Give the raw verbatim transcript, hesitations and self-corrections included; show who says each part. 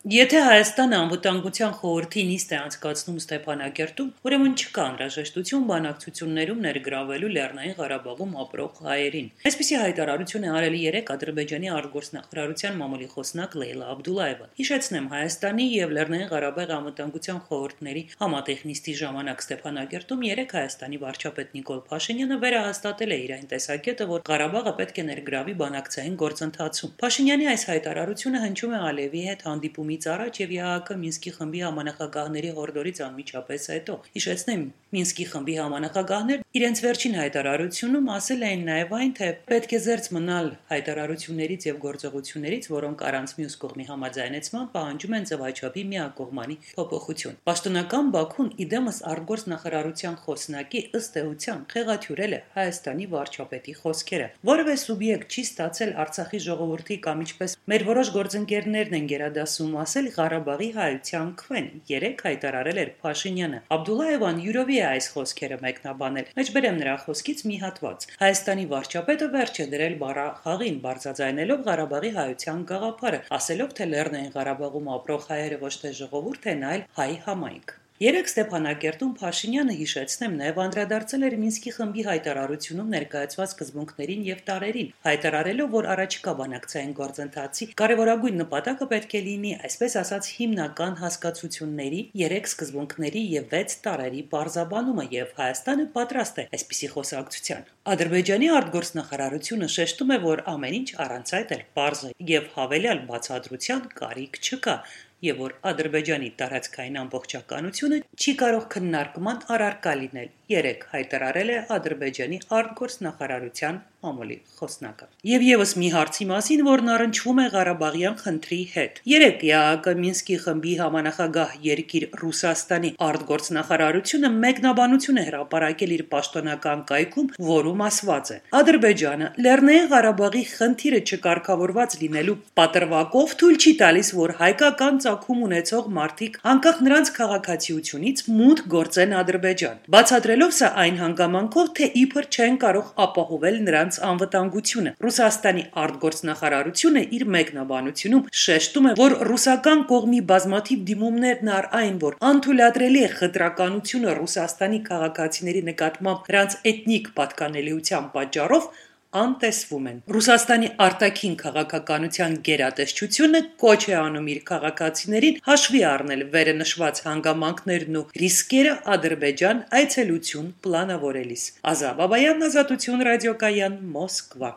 Speaker 1: Եթե Հայաստանը անվտանգության խորհրդի նիստ է անցկացնում Ստեփանակերտում, ուրեմն չկա անհրաժեշտություն բանակցություններում ներգրավելու Լեռնային Ղարաբաղում ապրող հայերին։ Այսպիսի հայտարարություն է արել երեկ Ադրբեջանի արտգործնախարարության մամուլի խոսնակ Լեյլա Աբդուլլաևը։ Հիշեցնեմ, Հայաստանի եւ Լեռնային Ղարաբաղի անվտանգության խորհուրդների համատեղ նիստի ժամանակ Ստեփանակերտում երեկ Հայաստանի վարչապետ Նիկոլ Փաշինյանը վերահաստատել է իր այն տեսակետը, որ Ղարաբաղը պետք է ներգրավի բանակցային գործընթացում։ Փաշինյանի այս հայտարարությունը հնչում է Ալիևի հետ հանդիպումից առաջ եւ ԵԱՀԿ Մինսկի խմբի համանախագահների հորդորից անմիջապես հետո։ Հիշեցնեմ, Մինսկի խմբի համանախագահներն իրենց վերջին հայտարարությունում ասել էին նաեւ այն, թե պետք է զերծ մնալ հայտարարություններից եւ գործողություններից, որոնք առանց մյուս կողմի համաձայնեցման պահանջում են ձևաչափի միակողմանի փոփոխություն։ Պաշտոնական Բաքուն իդեմս արտգործնախարարության խոսնակի ըստ էության խեղաթյուրել է Հայաստանի վարչապետի խոսքերը։ Որևէ սուբյեկտ չի ստացել Արցախի ժողովրդի կամ ինչպես մեր որոշ գործընկերներն են գերադասում ասել Ղարաբաղի հայության քվեն, երեք հայտարարել էր Փաշինյանը։ Աբդուլլաևան յուրովի է այս խոսքերը մեկնաբանել։ Մեջբերեմ նրա խոսքից մի հատված։ Հայաստանի վարչապետը վերջ է դրել բառախաղին, բարձրաձայնելով Ղարաբաղի հայության գաղափարը, ասելով, թե Լեռնային Ղարաբաղում ապրող հայերը ոչ թե ժողովուրդ են, այլ հայ համայնք։ Երեք Ստեփանակերտում Փաշինյանը, հիշեցնեմ, նաև անդրադարձել էր Մինսկի խմբի հայտարարությունում ներկայացված սկզբունքներին եւ տարերին, հայտարարելով, որ առաջիկա բանակցային գործընթացի կարևորագույն նպատակը պետք է լինի, այսպես ասած, հիմնական հասկացությունների, երեք սկզբունքների եւ վեց տարերի բարձաբանումը, եւ Հայաստանը պատրաստ է այսպիսի խոսակցության։ Ադրբեջանի արտգործնախարարությունը շեշտում է, որ ամեն ինչ առանց այդ էլ պարզ է եւ հավելյալ բացատրության կարիք չկա, եւ որ Ադրբեջանի տարածքային ամբողջականությունը չի կարող քննարկման առարկա լինել, երեք հայտարարել է Ադրբեջանի արտգործնախարարության մամուլի խոսնակը։ Եվ եւս մի հարցի մասին, որն առնչվում է Ղարաբաղյան խնդրի հետ։ Երեք ԵԱՀԿ Մինսկի խմբի համանախագահ երկիր Ռուսաստանի արտգործնախարարությունը մեկնաբանություն է հրապարակել իր պաշտոնական կայքում, որում ասված է. Ադրբեջանը Լեռնային Ղարաբաղի խնդիրը չկարգավորված լինելու պատրվակով թույլ չի տալիս, որ հայկական ծագում ունեցող մարդիկ անկախ նրանց քաղաքացիությունից մուտք գործեն Ադրբեջան, բացատրելով սա այն հանգամանքով, թե իբր չեն կարող ապահովել նրանց անվտանգությունը։ Ռուսաստանի արտգործնախարարությունը իր մեկնաբանությունում շեշտում է, որ ռուսական կողմի բազմաթիվ դիմումներն առ այն, որ անթույլատրելի է խտրականությունը Ռուսաստանի քաղաքացիների նկատմամբ նրանց էթնիկ պատկանելիության պատճառով անտեսվում են։ Ռուսաստանի արտաքին քաղաքականության գերատեսչությունը կոչ է անում իր քաղաքացիներին հաշվի առնել վերը նշված հանգամանքներն ու ռիսկերը Ադրբեջան այցելություն պլանավորելիս։ Ազա Բաբայան, Ազատություն ռադիոկայան, Մոսկվա։